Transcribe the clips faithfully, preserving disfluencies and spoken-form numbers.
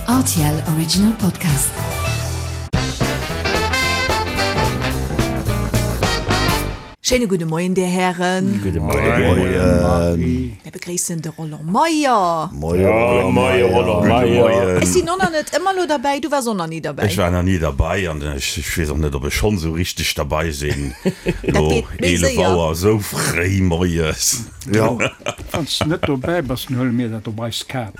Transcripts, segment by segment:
R T L Original Podcast. Schéine gudde Moien, Dir Hären. Gudde Moien. Mir begréissen de Roland Meyer. Moie Roland Meyer. Ech sinn och nach net ëmmer elo derbäi, du waars och nach ni derbäi. Ech war nach ni derbäi an ech weess och net, ob ech schonn esou richteg derbäi sinn. Dat Elo geet méi eelef séier. Auer, esou fréi moies. Jo. Wann s de net dobäi bass, dann huele mir dat op eis Kap.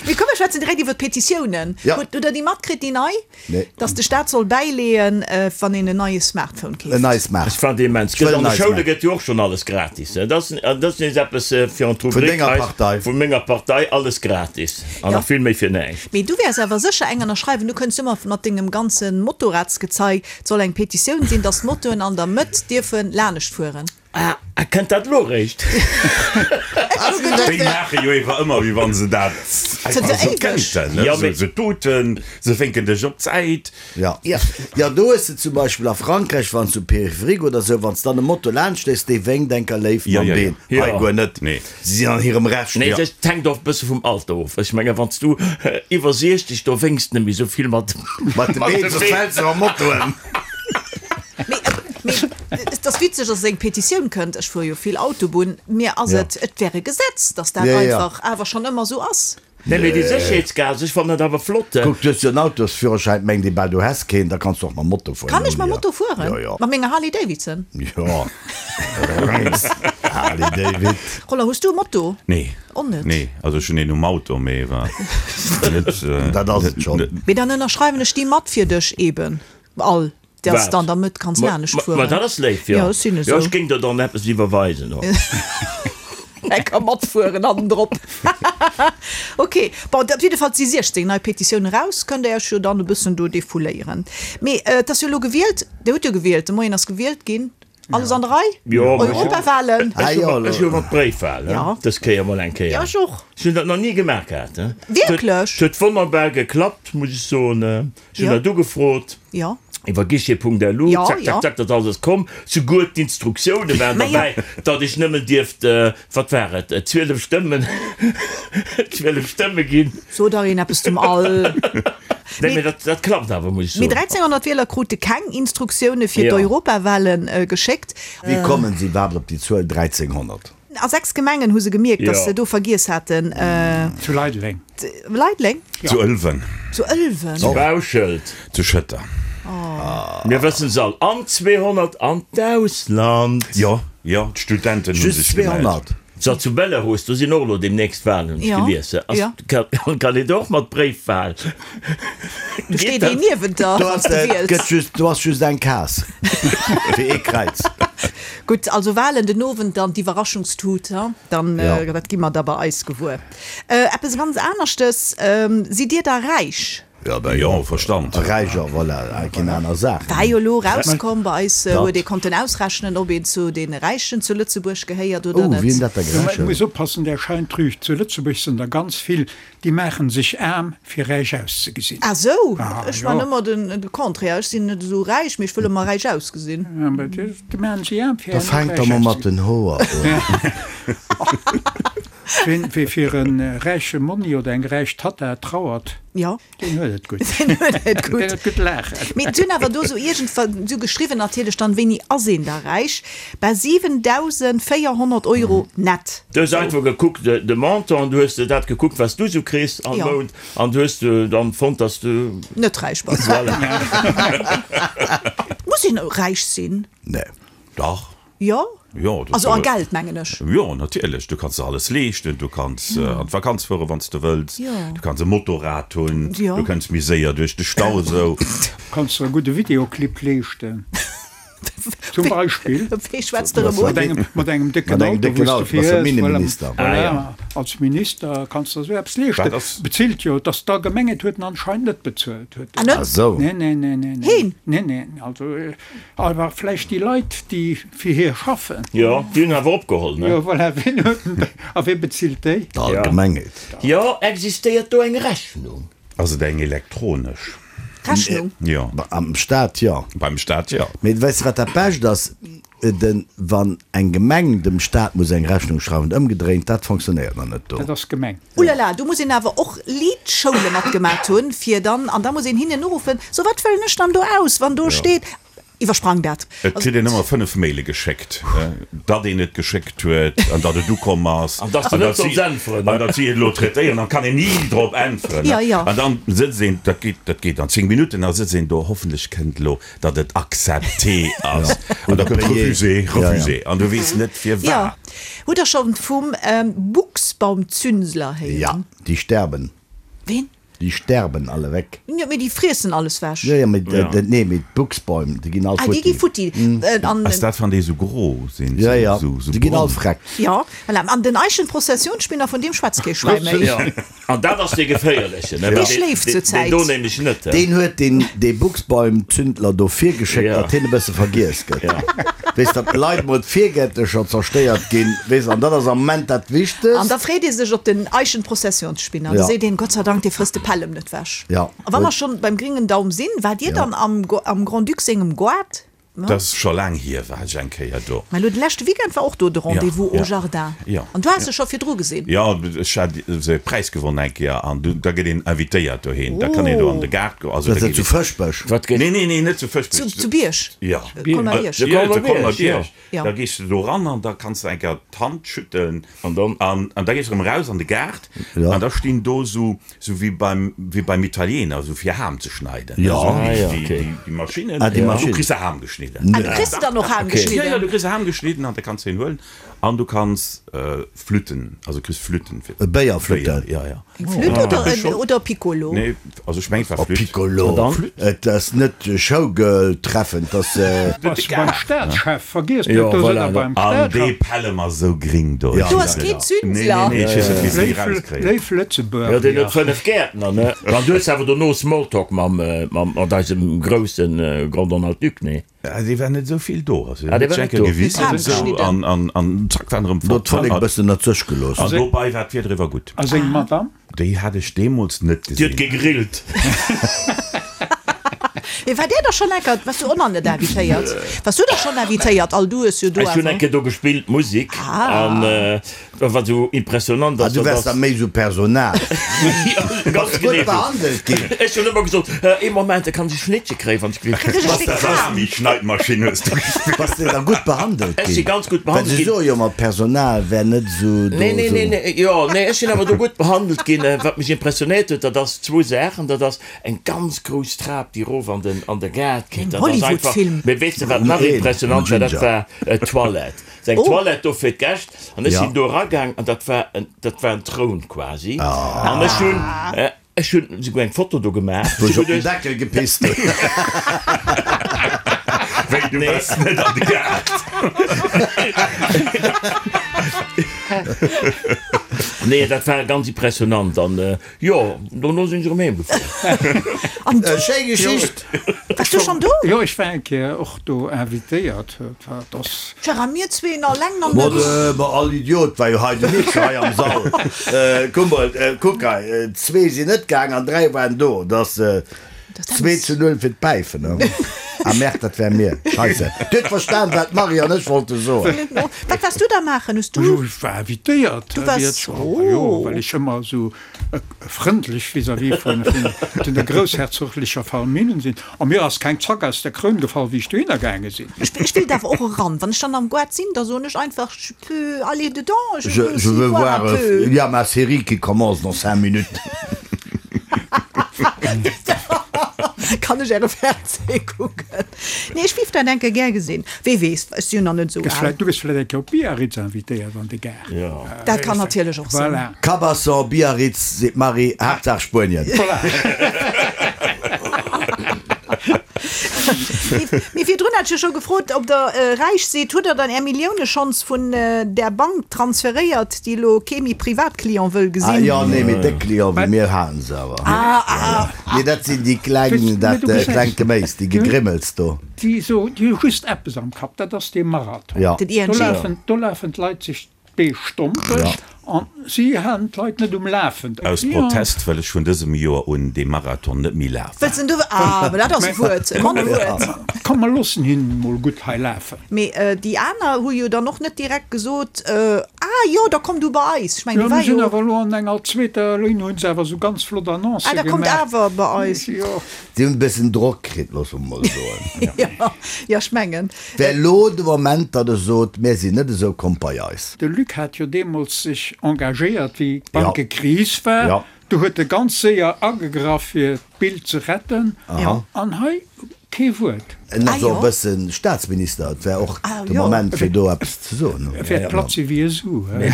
Mee komm, mir schwätzen direkt iwwer d'Petitiounen. Ja. Hutt Der déi matkritt, déi nei? Nee. Dass de Staat soll bäileeën, wann een en neie Smartphone keeft. En neie Smart. Ech fand immens. Ech wëll Gëtt en an de neie Schoule Smart. gëtt jo och schonn alles gratis. Dat ass, dat ass nees eppes fir an Vun d'Rubrik denger eis, Partei. vu menger Partei, alles gratis. An Ja. nach vill méi fir näischt. Mee du wäers awer sécher eng ënnerschreiwen. Du kënns ëmmer mat dengem ganze Motorradsgezei. Et soll eng Petitioun sinn, dass d'Motoen an der Mëtt dierfe lanescht fueren. Ah, a kënnt dat elo réischt? Déi maache jo ewer ëmmer, wéi wann se dat Zënter einfach sou éiweg. kéinten, ne? Ja, Sou, mee- se tuten, se wénken dech op d'Säit. Ja. Ja, do hues de zum Beispill a Frankräich, wann s du Périphérique oder sou, wann s dann e Moto laanscht léiss, dee wénkt enker léif Ja, mam ja, ja. Been. Ja. Hei guer net. Nee. Si sinn an hirem Recht. Nee, Ja. dat hänkt och e bësse vum Alter of. Ech menge wann s du iwwer siechzeg, do wénks de net méi sou vill mat Mat de Been, soss fäls de am Motoen. Mee, mee et ass witzeg, dass eng Petitioun kënnt. Ech fuere jo vill Autobunn. Mir ass Ja. et, et wär e Gesetz, dass dat Ja, ja. einfach awer schonn ëmmer esou ass. Nee, mee déi Sécherheetsgas, ech fannen dat awer flott. Kuck, du hues jo en Autosführerschäin, mengt ee bal, du häss keen, da kanns du och mam Moto fueren. Kann ech mam Ja. Moto fueren? Ja, ja. Mat menger Harley Davidson? Ja. Harley David. Roland, hues du e Moto? Nee. Och net? Nee, also ech hunn een um Auto, mee war net. Dat ass et schonn. Mee dann ënnerschreiwen ech déi mat fir dech eben all. Dass Wat? de an der Mëtt kanns Ma, lanescht ma, ma fueren. dat ass léif, jo. Ja, ech sinn Jo, esou. ech géing der dann eppes iwwerweisen och. Lecker matfueren hannendrop. Ok, bon, op jidde Fall si siechzéng nei Petitioune raus, kënnt der Iech jo dann e bëssen do defouléieren. Mee et ass jo elo gewielt, Dir hutt jo gewielt, de Moien ass gewielt ginn. Alles an der Rei? Jo, ma ech hu- Europawahlen? Ah, Ech hu jo, mat- ech hu mat Bréifwahl, Ja. dës Kéier mol eng Kéier. Ja, ech och. Ech hunn dat nach ni gemaach gehat. Wierklech? Et huet wonnerbar geklappt, muss ech soen. Ech hunn Ja. dat ugefrot. Ja. Iwwer guichet punkt L U, Ja, zack, ja. zack, zack, dat alles komm. Souguer d'Instruktioune waren Ma ja. derbäi, datt ech nëmmen dierft, wat war et, zwielef Stëmmen, zwielef Stëmme ginn. So dach een eppes zum All. Nee, mee dat, dat klappt awer, muss ech Mee soen. dräizénghonnert Wieler krute keng Instruktioune fir Ja. d'Europawahlen geschéckt. Wéi kommen si iwwerhaapt op déi Zuel dräizénghonnert? A sechs Gemengen hu se gemierkt, dass Ja. se do vergiess haten. Zu Leideleng. Leideleng? Zu Ëlwen. Zu Ëlwen? Zu Bauschelt. Zu Schëtter. Mir wëssen se all. An zweehonnert an d'Ausland. Jo, jo, d'Studenten hu Just sech gemellt. zweehonnert? So, zu Belarus, do sinn och elo demnächst Wahlen, hunn ech Ja, gelies. Ass, ja. kann, kann een do och mat Bréifwahl? Do steet een niewent der, Do wann ass s de wiels. gëtt just, do ass just eng Case fir ee Kräiz. Gutt, also Wahlen den Owend, dann d'Iwwerraschungstut, ha? Dann, Ja. dat gi mer da bei eis gewuer. Eppes ganz aneschtes, Sidd Dir da räich? Ja, ben Jo, Verstand. Räicher, voilà, keen aner Saach. War jo elo rauskomm bei eis, Dat. huet ee konnten ausrechnen, ob een zu deene Räichen zu Lëtzebuerg gehéiert oder Oh, net. wien dat da Jo, mä et gerechent? muss oppassen, där Schein trügt. Zu Lëtzebuerg sinn der ganz vill, déi maachen sech aarm, fir räich auszegesinn. Ah sou, Ah, ech jo. man ëmmer den, de Contraire, ech sinn net esou räich, mee ech wëll ëmmer räich ausgesinn. Ja, mä déi, déi maachen sech aarm, fir Da fänk der mol mat den Hoer un. Ween, wee fir e räiche Monni oder eng räich Tatta trauert, Ja. deen huet et gutt. Deen huet et gutt. Deen huet gutt laachen. Mee et hunn awer do sou iergendwann sou geschriwwen natierlech dann, wéini ass een da räich? Bei siwendausendvéierhonnert Euro nett. Du hues einfach gekuckt de, de Montant, an du hues de dat gekuckt, wat s du sou kriss am Ja. Mount, an du hues de dann fonnt, dass du. Net räich bass. Voilà. Muss een räich sinn? Nee. Dach. Jo? Jo, du Also a Geld, mengen ech. Jo, natierlech. Du kanns der alles leeschten. Du kanns an d'Vakanz fueren, wann s de wëlls. Jo. Du kanns e Motorrad hunn. Jo. Du kënns méi séier duerch de Stau esou. Kanns der e gudde Videoclip leeschten. Zum Beispill. Wee schwätzt erëm Mat un? engem, mat engem décken Mat engem Auto, décken wou s de Auto, bass de fiers, Minneminister. Voilà, Ah, ja. voilà. Als Minister kanns der esou eppes leeschten. Dat ass. Bezilt jo, dass d'Allgemengheet huet en anscheinend net bezuelt. Huet Ah, net? Ah sou. Nee, nee, nee, nee, nee. Heen? Nee, nee, also, awer vläicht déi Leit, déi fir hie schaffen. Jo, déi hunn awer opgeholl, ne? Jo, voilà, wien huet en, a wee bezilt déi? D'Allgemengheet. Jo, existéiert do eng Rechnung? Ass et eng elektronesch? Rechnung? Jo. Am Staat, jo. Beim Staat, jo. Mee weess de, wat dat Bescht ass? den, wann eng Gemeng dem Staat muss eng Rechnung schreiwen, ëmgedréint, dat funktionéiert nach net do. Dat ass gemeng. Ulala, do muss een awer och Lidschoule matgemaat hunn, fir dann, an da muss een hinnen uruffen, so wat fëllen ech dann do aus, wann do steet, iwwersprang dat. Et kritt een ëmmer fënnef Maile geschéckt, datt een et geschéckt huet an datt et ukomm ass. An datt s de net solls äntweren. An datt si et elo traitéieren, dann kann een ni drop äntweren. Ja, ja. An dann sëtzt een, dat geet, dat geet dann zéng Minutten, da sëtzt een do, hoffentlech kënnt elo, datt et accepté ass. An da kënnt refusé, refusé. An du weess net firwat. Ja. Hutt der schonn vum Buchsbaumzünsler héieren? Ja, déi sterben. Ween? Déi sterben alle weg. Jo, mee déi friessen alles wech. Jo, jo, mee dat, nee, mee d'Buchsbäum, déi ginn all Ah, déi gi futti. futti. An. Ass dat, wann déi esou gro sinn? Ja, ja, Esou, esou déi ginn all brong? freck. Jo, voilà. An den Eichenprozessionsspinner, vun deem schwätzt kee Schwäi méi. Ja, an dat ass dee geféierlechen, ne? Dee schléift zur Zäit. Deen do nämlech net, he? Deen huet deen, dee Buchsbaumzündler do virgeschéckt, Ja. datt hien e bësse vergiess gëtt. Ja. Weess, datt d'Leit mol d'Virgäertlecher zerstéiert ginn, weess, an dat ass am Moment dat An Wichtegst. da freet ee sech op den Eichenprozessionsspinner. Da Ja. seet een, Gott sei Dank, dee frësst de Pellem net wech. Ja. A wa mer schonn beim gringen Daum sinn, waart Dir dann am, am Grand-Duc sengem Goart? Dat ass scho laang hier, war ech eng Kéier do. Mä elo de leschte Weekend war och do de Rendez-vous Ja, au ja. Jardin. Ja. An du has se scho virdru gesinn. Jo, ech hat esou e Präis gewonnen eng Kéier an du, da gëtt een invitéiert dohin. Da kann een do an de Gaart goen. Also Dat da ass zu geet een. Fëschbech. Wat gëtt. Nee, nee, nee, net zu Fëschbech. Zu, zu Bierg. Ja. Colmar-Bierg. Zu Ja, zu Colmar-Bierg, Colmar-Bierg. ja. Da gees du do ran an da kanns du eng Kéier d'Hand schütteln. An dann? An, an da gees du erëm raus an de Gaart. Ja. An da stinn do sou, sou wéi beim, wéi beim Italiener, sou fir Ham ze schneiden. Ja. Sou Ah, déi, ja, déi, okay. déi, déi Maschinnen. Ah, déi Du Maschinen. kriss de Ham geschnidden. Ah, du kriss dann och Ham Okay. Ja, ja, geschnidden. du kriss Ham geschnidden an da kanns du en huelen. An du kanns äh, Flütten, also kriss Flütten fir. E Béierflütten. Béier, ja, ja. Eng Flütt oder, Ja. en, oder Piccolo? Nee, also ech meng, et war Oh, Flütt. Piccolo. An dann? Et ass net Showgirl-Treffen, et ass. Äh, Bass beim Staatschef, vergiess net, Jo, do sinn voilà, der beim An dee Staatschef. Pellem ass sou gring do. Ja. Du ass keen Zünsler. Nee, nee, nee, ech weess net, wéi se déi Léif, rauskréien. léif Lëtzebuerger. Jo, deen huet fënnef Gäertner, ne? An du hues awer dono Smalltalk mam, mam, mat eisem groussen Grand Donald Duck, ne? Ja, dee war net esou vill do. Also, Ah, dee war net do. Gewiss, Den Ham esou, geschnidden. an, an, an zack, war en erëm do huet fort. d'Vollek e bëssen ënnert sech gelooss. An dobei war d'Wieder iwwer gutt. A seng Madame? Déi hat ech deemools net Déi huet gesinn. gegrillt. Mee war där da schonn enker, waars du och nach net invitéiert? Waars du da schonn invitéiert? All du hues jo do Ech hunn awer. eng Kéier do gespillt, Musik. Ah. An wat esou impressionant Ah, ass, du dat waars da ass. méi sou Personal. Ganz Bass gutt genee esou. behandelt ginn. Ech hunn ëmmer gesot, ee Moment, da kann ech e Schnittche kréien, wann ech will. Kritt ech e Stéck Das ass Ham? déi Schneidmaschinn, hues du gespillt. Bass de da gutt behandelt Ech si ginn? ganz gutt Well behandelt se ginn. soe jo ëmmer, d'Personal wär net sou do Nee, nee, sou. nee, nee, jo, nee, ech sinn awer do gutt behandelt ginn. Wat mech impressionéiert huet, dat ass zwou Saachen. Dat ass eng ganz grouss Trap, déi erof an den, an de Gaart geet. Eng Dat ass einfach. Hollywood-Film. Mee weess de, wat nach Een, impressionant war? Dat Ginger. war d'Toilette. Seng Oh. Toilette do fir d'Gäscht. An ech Ja. sinn do eragaang an dat war en, dat war en Troun quasi. An ech hunn, ech hunn souguer eng Foto do gemaach. Wou ech op den Deckel gepisst hunn. Wéi, du waars net an de Gaart? Nee, dat war ganz impressionant. An jo, dono sinn ech erëm heem gefuer. An du, Schéi Geschicht. waars du schonn do? Jo, ech war eng Kéier och do invitéiert. Dat ass. Gérard, mir zwee nach laang nach Ma net. de, ma all Idiot war jo hei de Mix hei am Sall. Kuck mol, kuck hei, zwee sinn net gaang an dräi waren do. Dat ass zwee zu null fir d'Päifen, ne? Ah merde, dat wär mir. Scheisse. Du huet verstan, wat d'Marie an ech wollte soen. Wat waars du da maachen? Hues du. Jo, ech war invitéiert. Du waars. Oh. Jo, well ech ëmmer esou frëndlech vis-à-vis vun, vun der groussherzoglecher Famille sinn. A mir ass keng Zack aus der Kroun gefall, wéi ech dohinner gaange sinn. Ech, ech wéilt awer och eran. Wann ech dann am Goart sinn, da soen ech einfach, je peux aller dedans, je Je, veux je aussi veux voir voir, un peu. il y a ma série qui commence dans cinq minutes. Kann ech äre Fernseh kucken? Nee, ech wéilt dat eng Kéier gär gesinn. Wee weess, ech sinn jo nach net esou Gëss al. vläicht, du gëss vläicht eng Kéier op Biarritz invitéiert an de Gaart. Jo. Dat kann natierlech och sinn. Voilà. Cabasson, Biarritz, seet d'Marie, Haaptsaach Spuenien. Voilà. Mee virdrun hat ech jo scho gefrot, ob der räich sidd. Hutt der dann är Millioune schonns vun där Bank transferéiert, déi elo kee méi Privatclient wëll Ah gesinn? jo, nee, mee déck Client wéi mir haten se awer. Ah, ah. Nee, dat sinn déi kleng, dat klengt Geméis, déi Gegrimmels do. Déi so, déi hu just eppes am Kapp, dat ass dee Marathon. Ja. Den I N G. Do lafen, do lafen d'Leit sech d'Bee stompeg An si halen d'Leit net um Lafen. Aus Protest wëll ech vun dësem Joer un dee Marathon net méi lafen. Wëlls en du? Ah, mä dat ass e Wuert, e Mann e Wuert. Komm, mer loossen hien emol gutt hei lafen. Mee déi aner hu jo dann och net direkt gesot, Ah jo, da komm du bei eis. Ech mengen, Jo, do war mir sinn jo. awer elo an enger zweeter Linn, hu se awer esou ganz flott Annoncë Ah, da kommt gemaach. awer bei eis. Jo. Si hunn e bëssen Drock kritt, loosse mer mol soen. Jo, jo, ech mengen. Wär elo de Moment, datt e sot, Mir sinn net esou, kommt bei eis. De Luc hat jo deemools sech engagéiert, wéi d'Bankekris war. Ja. Do huet e ganz séier agegraff, fir d'Bild ze retten. Ja. An hei kee Wuert. En Ah ass och e jo. bëssen Staatsminister, et wär och Ah de jo. Moment, fir do eppes ze soen. E wäert platt si wéi e Su. Mee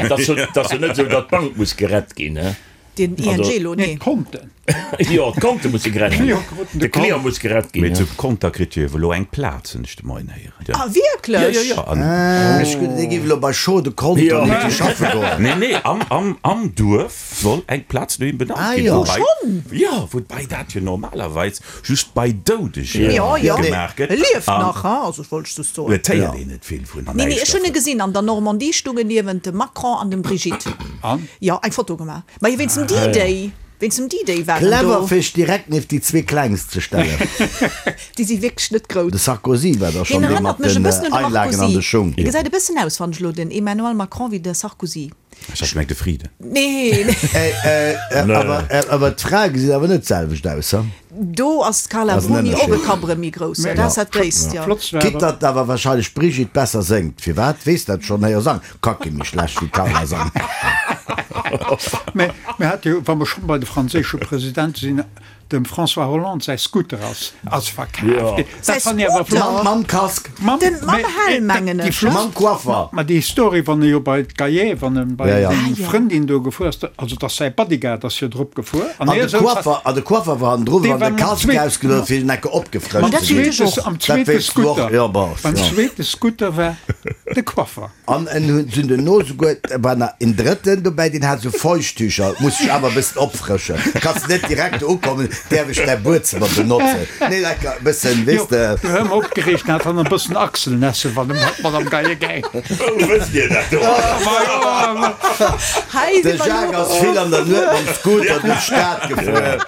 et ass jo, et ass jo net esou, datt d'Bank muss gerett ginn, he? Den I N G Also, elo, Nee, nee. d'Konten. Jo, d'Konte musse gerett ginn. D'Client kruten de De Client Kont. muss gerett ginn, Mee he? zu Conter kritt jo elo eng Plaz, hunn ech de Moien héieren. Ah, wierklech? Jo, jo, jo. An, Ech gutt, dee géif elo bei Chaud de Conter Jo. net schaffe goen. nee, nee, am, am, am Duerf soll eng Plaz no him benannt Ah, ginn. jo. Wobei, Schonn? Jo, woubäi dat jo normalerweis just bei Doudege Jo, jo. gemaach gëtt. E lieft An nach, hein? Also, ech wollt just soen. Et héiert een net vill vun. Nee, nee, ech hunn e gesinn an der Normandie, stoung en niewent dem Macron an dem Brigitte. An? Jo, eng Foto gemaach. Ma jo, wéinst dem D-Day. Wéinst dem D-Day war en Clever, do. fir sech direkt nieft déi zwee Klengst ze stellen. Déi si wierklech net grouss. De Sarkozy war da Hien schonn dee erënnert mat mech e den bëssen un de Einlagen an de Marcozy. Schung. Hie gesäit e bëssen aus, fannen ech elo, den Emmanuel Macron, wéi de Sarkozy. Ech hat gemengt de Frieden. Nee, nee. Awer, awer d'Frae gesinn awer net d'selwecht aus, he? Do ass d'Carla Ass en Bruni och e Ënnerscheed. Kapp erëm méi grouss. Jo, dat ass dat Gréisst, jo. Flott war Quitte awer. datt awer wahrscheinlech d'Brigitte besser séngt. Firwat? Weess dat schonn héier sang. Ka kee méi schlecht wéi d'Carla sangen. Mä mir hate jo, wa mer schonn bei de franséische Presidente sinn, dem François Hollande säi Scooter ass ass verkaaft Jo. ginn. Säi Dat fannt ech awer Scooter? flott. Mam, mam Casque. Mam, Den, mam mä, Helm, eh, mengen déi ech, flott- ne? Mam Coiffer. Ma déi Historie, wann e jo bei d'Gaillet, wann e bei Ja, ja. seng Ah, jo. Frëndin do gefuer ass, also dass säi Bodyguard ass jo drop gefuer. An An hie de souz Coiffer, an de Coiffer war hannendru, Dee wann war de mam Casque zweet- ausgedoen fir en Ecke Mam opgefrëscht dat ze ginn. weess ech zweete, och. am Dat zweete weess du och, Scooter. jo, bon, Beim ja. zweete Scooter war de Coiffer. An en hunn sinn duerno souguer, war nach en drëtten dobäi, deen hat sou Feuchttücher, muss sech awer e bëssen opfrëschen. Kanns net direkt ukommen, däerf ech däi Buedzëmmer benotzen? Nee, lecker, e bëssen, Jo, weess de. du hör mer opgereegt, hat dann e bëssen Achselnässe, wann e mat Madame Gaillet gäng. Wou wësst Dir dat do? Hei De si mer Jacques elo. ass vill an der Nuet mam Scooter duerch d'Stad gefuer.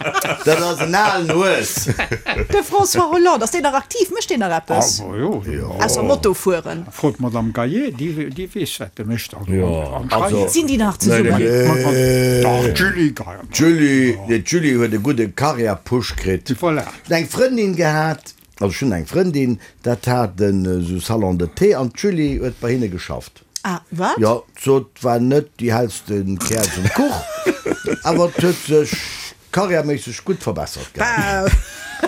Dat ass en alen Hues. De François Hollande, ass deen nach aktiv? Mécht deen nach eppes? Awer jo, jo. Ausser Moto fueren. Frot d'Madame Gaillet, déi, déi weess, wat e mécht. Also, Jo. anscheinend. Sinn déi nach zesummen? Dach, d'Julie Gaillet. D'Julie, nee, d'Julie huet e gudde Karriärpush kritt. Voilà. Ech hunn eng Frëndin gehat, also ech hunn eng Frëndin, dat hat en esou Salon de thé an d'Julie huet bei hinne geschafft. Ah, wat? Jo, d'sot war net déi hellste Käerz um Kuch, awer et huet sech karriärméisseg gutt verbessert gehat.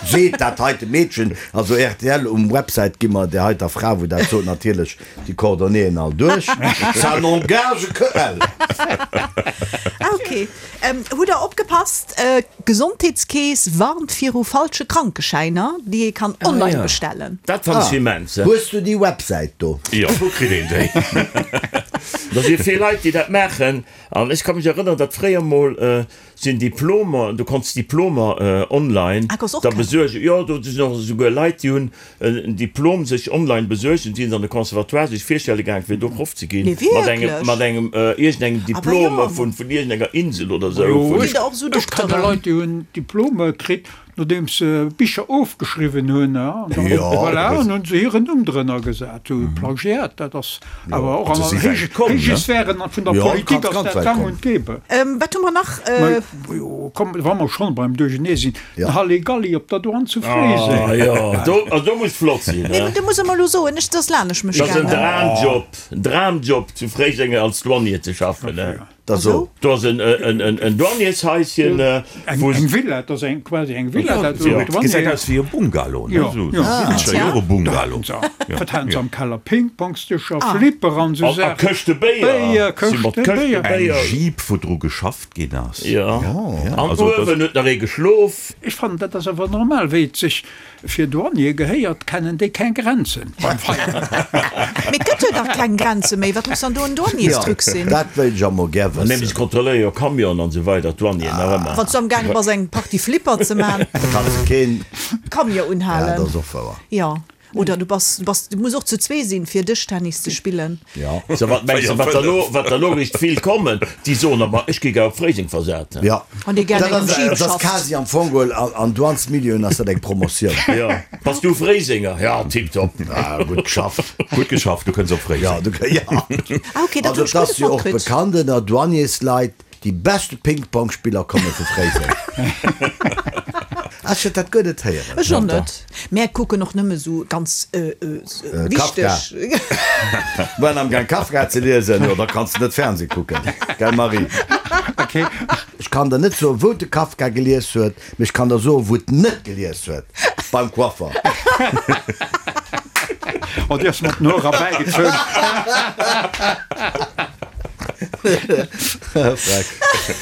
Seet dat heite Meedchen, also rtl um Website gi mer där heiter Fra, wou dat sot, natierlech déi Coordonnéeën all duerch. Ça n'engage que elle. Ah, okay. Ähm, hutt der opgepasst? Äh, Gesondheetskeess warnt viru falsche Krankeschäiner, déi ee kann online Ah, ja. bestellen. Dat fand ech immens. Hues du déi Websäit do? Jo, wou kritt een déi? Da si vill Leit, déi dat maachen. An ech ka mech erënneren, datt fréier mol sinn Diplomer, du konns Diplomer online Ah, konns och da kréien. besuergen. Jo, do sinn och esouguer Leit, déi hunn en Diplom sech online besuergt und sinn an de Conservatoire sech virstelle gaang, fir do Proff ze ginn. Nee, Mat engem, wierklech? mat engem iergendengem Ah, bah Diplom jo. vun, vun iergendenger Insel oder sou. Jo, Vun, Sinn der och esou ech kenne Dokteren? Leit, déi hunn Diplome kritt, nodeems se Bicher ofgeschriwwen hunn, an dann, Jo. voilà, an hunn se hiren Numm drënner gesat, sou Plagiat, dat ass awer och an Also si der wäit héije, komm, héije ne? Sphären vun der Jo, Politik kannst ass ganz dat wäit gang kommen. und gäbe. Ähm, wat hu mer nach? Äh, Mä jo, komm, wa mer schonn beim Duerchenee sinn, Ja. den Halligalli op der Douane zu Fréiseng. ah, jo, do, also do muss flott sinn, nee, ne? do muss e mer elo soen, ech, dat ass lanescht mech Dat ass en gaangen. Dramjob, en Dramjob zu Fréiseng als Douanier ze schaffen, ne? Dat so. Do ass en, en, en, en Douaniershäuschen, Eng, wou eng Villa, dat ass eng, quasi eng Villa, dat do Ja. Douanier. Gesäit aus wéi e Bungalow, ne? Ja, Sou ja. siwwenzeger Jore Bungalow. So, Ja. wat haten se Ja. am Keller? Pingpongsdëscher, Flipper an sou A, a Saachen. Këschte Béier. Béier, Si mat Këschte Këschte Béier. Eng Béier. Jeep, wou dru geschafft ginn ass. Ja. An Also das- uewen huet nach ee geschlof. Ech fannen, dat ass awer normal, wéi et sech fir Douanier gehéiert, kennen déi keng Grenzen beim Feieren. Mee et gëtt jo dach keng Grenze méi. Wat muss dann do en Douanierstruc sinn? Dat wéilt ech emol gär Nämlech wëssen. kontrolléiere jo Camion an sou weider, d'Douanieren nach ëmmer. Wann s du am gaange bass eng Partie Flipper ze man, Kanns keen. Camion Ja, unhalen. dat ass och wouer. Jo. Oder du bass, du bass, du muss och zu zwee sinn, fir Dëschtennis ze spillen. Ja. So, wat mengs de, wat der lo, wat der lo richt vill kommen, déi soen aber, ech gi gär op Fréiseng versat. Ja. Wann dir gär Dat engem ass, Jeep dat ass schafft. quasi am Fong geholl, an, an Douanesmilieuen ass dat eng Promotioun. Ja. Bass du Fréisenger? Ja, tipptopp. Ah, gutt geschafft. Gutt geschafft, du kënns op Fréiseng. Ja, du, ja. Ah, okay, dat Also hunn ech et ass guer net jo och matkritt. bekannt ënner Douanersleit, déi beschte Ping-Pong-Spiller komme vu Fréiseng. Ech huet dat guer net héieren. Ech och net. Mär kucken och nëmme sou ganz Kafka. wichteg. Waren am Gang Kafka ze liesen, jo da kanns de net Fernseh kucken, gell Marie? Okay. Ech kann der net soen, wou de Kafka gelies huet, mee ech kann der soen, wou et net gelies huet, beim Coiffer. Oh, déi ass mat den Hoer erbäigezunn.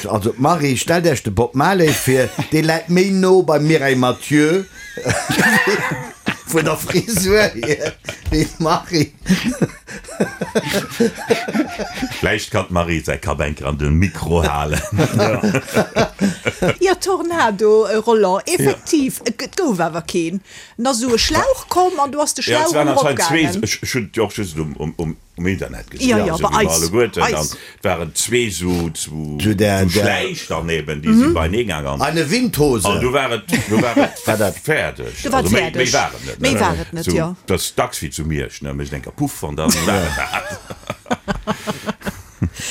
Also d'Marie, stellt Iech de Bob Marley vir, dee läit méi no beim Mireille Mathieu vun der Frisur hier wéi d'Marie. Vläicht kann d'Marie säi Kapp eng Kéier an de Mikro halen. Jo, Tornado, Roland, effektiv, et gouf awer keen. En ass esou e Schlauch komm an du ass de Ja, et Schlauch waren anscheinend zwee, eropgaangen. ech ech hunn et jo och just um, um, um, um Internet gesinn, Ja, ja, esou bei wéi mer eis, alleguerten. An eis. et waren zwee sou, sou, Sou der, sou der. Schläich dann eben, déi si beinee gaang an. Eine Windhose. An du war et, du war et War dat. fäerdeg. Du war et Also méi, fäerdeg. méi war et net, Méi ne? war et net, Sou, jo. dat ass dacks wéi zu Miersch, ne, mécht eng Kéier Puff an dann war et dat.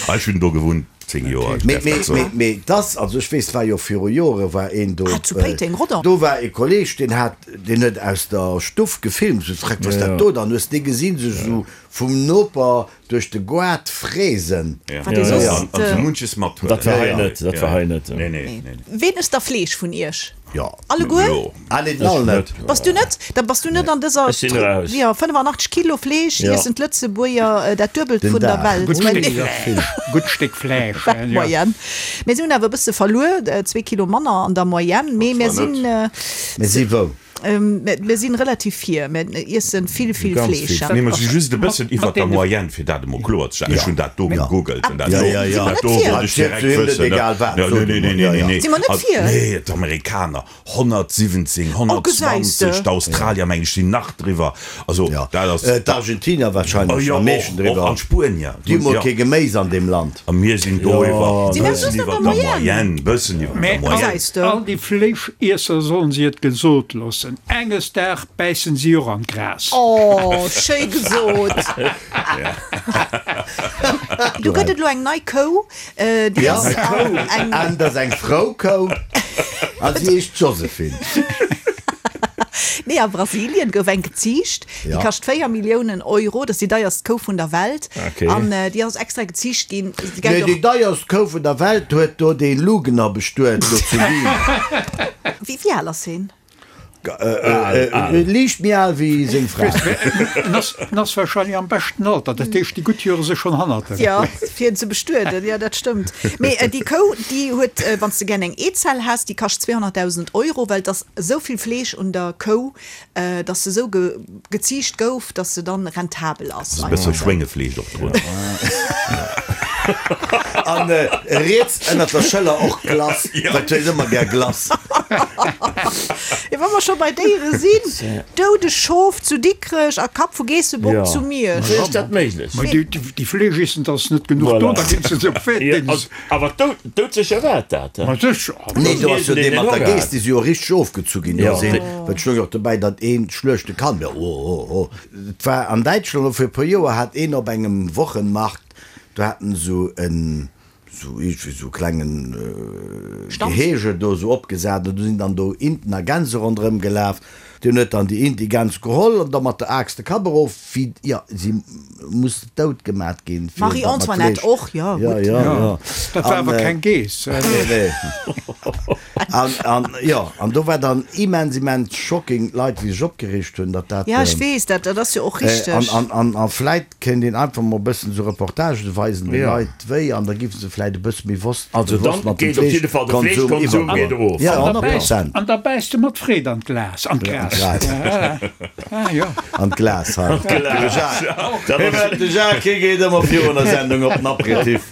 Ah, ech hunn do gewunnt zéng Joer, ech Mee, däerf mee, dat soen. mee, mee dass, also ech weess, war jo viru Jore war een do, Ah, zu Péiteng, Rodange. do war e Kolleg, deen hat, deen huet aus der Stuff gefilmt, sou freck, was dat do, dann hues de gesinn, sech sou vum Noper duerch de Goart fräsen. Ja. Wat ee soss, An, an sou munches mathuelen. Dat war hei net, dat war hei net. Nee, nee, nee, nee. Ween ësst da Fleesch vun iech? Jo. Alleguer? Jo. Ah nee, den Al net. Bass du net? Da bass du net an dëser Ech sinn raus. Jo, fënnefanachteg Kilo Fleesch Ja. iessen d'Lëtzebuerger, dat Duebelt Den vun der Dag. Welt. Gutt Well Stéck, gutt Stéck Fleesch. Wat Ja. Moyenne. Mir sinn awer e bësse verluer, zwee Kilo manner an der Moyenne, mee mir zwar sinn, net. Mir si wou? mir sinn relativ vir. Mir iessen vill, vill Ganz Fleesch. vill. Nee, mer si just e bëssen Mat iwwer der deene- Moyenne, fir dat emol kloer ze stellen. Ech hunn dat do gegoogelt an dat Ja, do, ja, ja. dat do Si mer wollt net ech vir? direkt Zu him net wëssen, ne? egal wat, Ja, sot nee, nee, nee, de Mann. nee, nee. Si mer net Also, vir? nee, d'Amerikaner, honnertsiwwenzéng, gesäis de. honnertzwanzeg, d'Australier, meng ech, sinn nach driwwer. Also, Ja. dat ass. Äh, D'Argentinier Oh, wahrscheinlech jo, am meeschten och, och driwwer. an d'Spuenier. Déi hu mol Ja. kee Geméis an deem Land. A mir sinn do iwwer, Si mer bëssen just an iwwer der der Moyenne. Moyenne, bëssen iwwer der Mee Moyenne. Gesäis de. all déi Fleeschiesser sollen si et gesot loossen. Enges Dag bäissen si och an d'Gras. Oh, schéi gesot. Du gëtt et lo eng nei Kou, äh, déi Ja. ass an eng An dat ass eng Frou Kou. A si heescht Josephine. Nee, a Brasilien gouf eng geziicht, déi Ja. kascht véier Milliounen Euro, dat ass déi deierst Kou vun der Welt. Okay. An äh, déi ass extra geziicht ginn. Déi Nee, gëtt déi och, deierst Kou vun der Welt huet do dee Lugner bestuet do zu Wien. wéi, wéi al ass hien? Äh, äh, liicht méi al wéi seng Fra. En ass, en ass wahrscheinlech am beschten Alter, dat heescht, déi gutt Jore si schonn hannert em. Ja, fir en ze bestueden, ja, dat stëmmt. Mee äh, déi Kou, déi huet, äh, wann s de gär eng Eezell häss, déi kascht zweehonnertdausend Euro, well et ass esou vill Fleesch un der Kou, äh, dass se esou ge geziicht gouf, dass se dann rentabel ass. E bësse Schwéngefleesch och drun. An äh, riets ënnert der Schëller och Glace, well du hues ëmmer gär Glace. Ja, wa mer scho bei Déiere sinn, doudeg Schof zu Dikrech a Kapp vu Geessebock Ja. zu Miersch. Wéi ass dat méiglech? Mä déi, déi, déi Fleeschiessen, da ass net genuch Voilà. do, da ginn se se op Ja, Fäerdings. also, awer doud, doudsécher war dat, he? Ma sécher. Nee, do ass jo dee mat der Honger Geess, déi si jo richteg ofgezu ginn. Do Ja. ass een, wat stoung och dobäi, datt een schluechte kann. Ja, oh, oh, oh. Et war an Däitschland, elo fir e puer Joer, hat een op engem Wochenmarkt, do haten esou en, sou iergendwéi sou klengen Stand? Gehege do sou opgesat an do sinn dann do Inten a Gänse ronderëm gelaf. Deen huet dann déi Int, déi Gäns geholl an da mat der Aaxt de Kapp erof, wéi, jo, si muss dout gemat ginn, fir Marie datt mat Antoinette Fleesch. och, jo, Ja, gutt. ja, ja. Dat war An, awer äh, keng Geess. Nee, nee. An, an, jo, an do war dann immens, immens shocking, d'Leit, wéi sech opgereegt hunn, datt dat, Ja, ech ähm, weess dat, dat ass jo och Äh, richteg. an, an, an, an vläit kéint een einfach mol e bëssen sou Reportagen weisen de Ja. Leit wéi, an da giffen se vläit e bësse méi wosst, Also bewosst dann mat dem geet op jidde Fall de Fleeschkonsum Fleeschkonsum geet iwwergoen. erof. Ja, An da honnert bäiss, Prozent. an da bäiss de mat Freed an d'Glas, an d'Gras. Gras. Ja, ah, ja. An d'Glas, hei. Glas. De Jacques. Dat ass- De Jacques, hie geet ëmmer virun der Sendung op den Aperitif.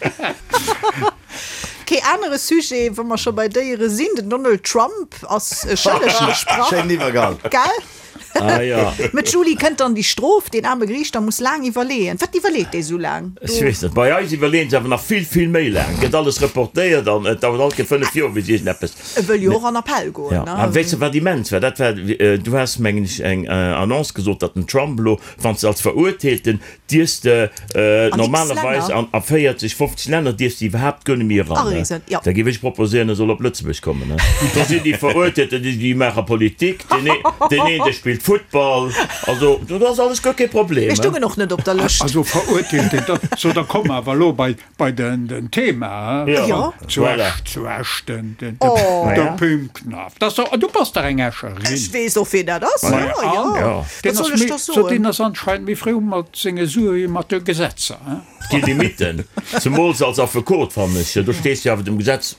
Kee anere Sujet, wa mer scho bei Déiere sinn, den Donald Trump ass schëlleg gesprach. Schéinen Iwwergang. Gell? Ah jo. Mä d'Julie, kënnt dann déi Strof? Deen aarme Geriichter muss laang iwwerleeën. Wat iwwerleet dee sou laang? Ech weess net. Bei eis iwwerleeën se awer nach vill, vill méi laang. Gëtt alles reportéiert an et dauert alt ke fënnef Joer, bis iergendeppes. E wëll jo och an Appell goen, Ja. ne? A weess de, wat immens war? Dat war, du has, mengen ech, eng Annonce gesot, datt den Trump elo, wann s de als Verurteelten dierfs de An x normalerweis Länner. an a véierzeg, fofzeg Länner dierfs de iwwerhaapt guer net méi eran, ne? Areesen, jo. Da géif ech proposéieren, e soll op Lëtzebuerg kommen, ne? Do sinn déi Verurteelten, déi, déi maache Politik, deen ee, deen een, dee spillt Futtball, also do ass alles guer kee Problem, Mir ne? stungen och net op der Lëscht. Also Verurteelte, da, so da komme mer awer elo bei, bei den, den Thema, he? Ja. Jo. Zu Voilà. Esch, zu Esch, den, den, Oh. de Ja. Pim Knaff. Das doch, du bass dach eng Escherin. Ech weess och, wien dat ass. Jo, jo. Ja. Wat Deen soll ass ech méi, da so soen? deen ass anscheinend méi fréi mat senge Sue wéi mat de Gesetzer, he? Déi Limiten, zemools als Affekot, fannen ech, do stees de jo awer dem Gesetz,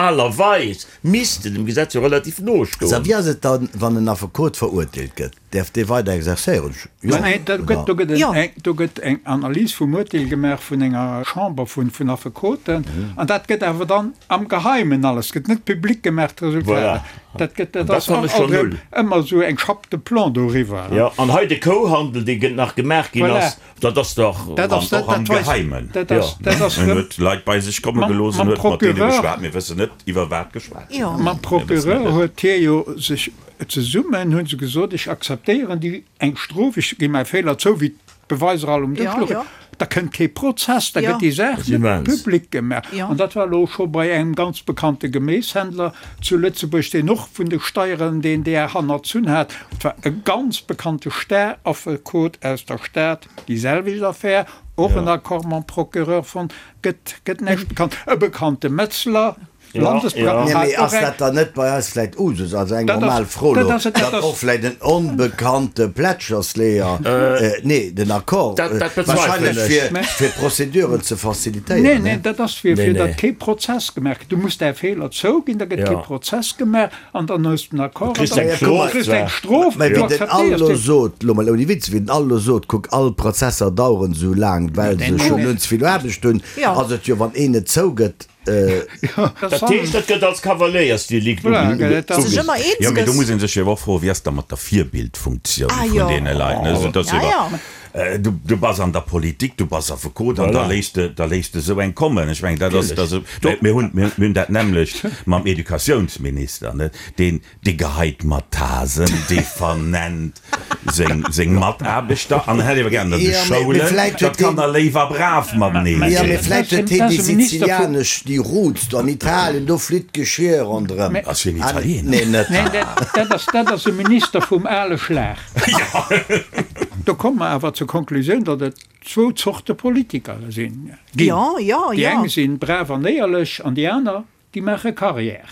normalerweis misst de dem Gesetz jo relativ no Sa, stoen. wéi ass et dann, wann en Affekot verurteelt gëtt? Däerf dee weider exerzéieren? Jo, Mä do gëtt, do gëtt Jo. eng, do gëtt eng Analys vum Urteel gemaach vun enger Chamber vun, vun Affekoten, an dat gëtt awer dann am Geheimen alles, gëtt net public gemaach, d'Resultater. Voilà. Dat gëtt, dat Dat ass fannen ech schon alt erëm null. ëmmer esou eng Chape de plomb doriwwer. Ja, an hei de Kouhandel, dee gëtt nach gemaach ginn Voilà. ass, dat ass dach. Dat ass, dat, Och am dat weis, Geheimen. dat ass, Ja. dat ass En rëm, huet Leit bei sech komme Mam- gelooss en mam huet mat deene Procureur- geschwat. Mir wëssen net, iwwer wat geschwat ginn Jo. ass. Mam Mir wëssen et Procureur net. huet hie jo sech zesummen, hunn se gesot, ech akzeptéieren déi eng Strof, ech gi mäi Feeler zou, wéi d'Beweiser all um Dësch Ja, louchen. ja. Da kënnt kee Prozess, da Ja. gëtt déi Saach Dat ass net immens. public gemaach. Ja. An dat war elo scho bei engem ganz bekannte Geméishändler zu Lëtzebuerg, deen och vun de Steieren deen där hannerzunn hat. Et war e ganz bekannte Staraffekot aus der Stad, déi selwecht Affär, och en Accord mam Procureur fonnt, gëtt, gëtt näischt bekannt. E bekannte Metzler, Ja, Landesbra- ja. Nee, hat mee och ass eng- dat dann net bei eis vläit Usus, also eng Dat ass- normal Fro dat elo, ass- dat datt ass- och vläit en onbekannte Plätschersleeër, nee, den Accord, Dat- dat bezweifelen wahrscheinlech ech. fir, Mä- fir d'Prozeduren ze facilitéieren, Nee, ne? nee, dat ass fir, Nee, fir nee. datt kee Prozess gemaach gëtt. Du muss däi Feeler zouginn, da gëtt Ja. kee Prozess gemaach an dann hues du den Accord Du kriss an dann eng Strof kriss du eng zwar. Strof, Mä du wéi den akzeptéiers Allo déi. sot, lo mol ouni Witz, wéi den Allo sot, kuck, all Prozesser daueren esou laang, well se schonn hunn ze vill Aarbecht hunn, Ja. ass et jo, wann een et zougëtt, Dat heescht, dat gëtt als Kavaléiersdelikt Voilà, gell, dat ass- Sech ëmmer eens Ja, mee do gëss. muss een sech jo och froen, wéi ass da mat der Virbildfunktioun Ah, vun jo. deene Leit, ne? Also, dat ass Ja, iwwer- ja. Äh, du, du bass an der Politik, du bass Affekot an da Voilà. léisst de, da léisst de esou eng kommen. Ech mengen, dat ass, Natürlich. dat ass, mir, mir hunn, mir, mir hunn dat nämlecht mam Educatiounsminister, ne? Deen, dee geheit mat Tasen, dee vernennt seng, seng Mataarbechter an hätt awer gern, datt de Ja, mee- mee Schoulen, vläicht dat huet deen- Kanner léiwer brav mateneen Ja, mee sinn. vläicht huet Dat hien ass déi e Minister vu- sizilianesch, déi Roots do an Italien, do flitt d'Geschir ronderëm. Mee- Ass hien Ah, Italiener? Nee, net. Nee, dat, dat ass, dat ass e Minister vum ale Schlag. Do komme mer awer zur Konklusioun, datt et zwou Zorte Politiker sinn. Ginn. Ja, ja, Déi ja. eng sinn brav an éierlech an déi aner, déi maache Karriär.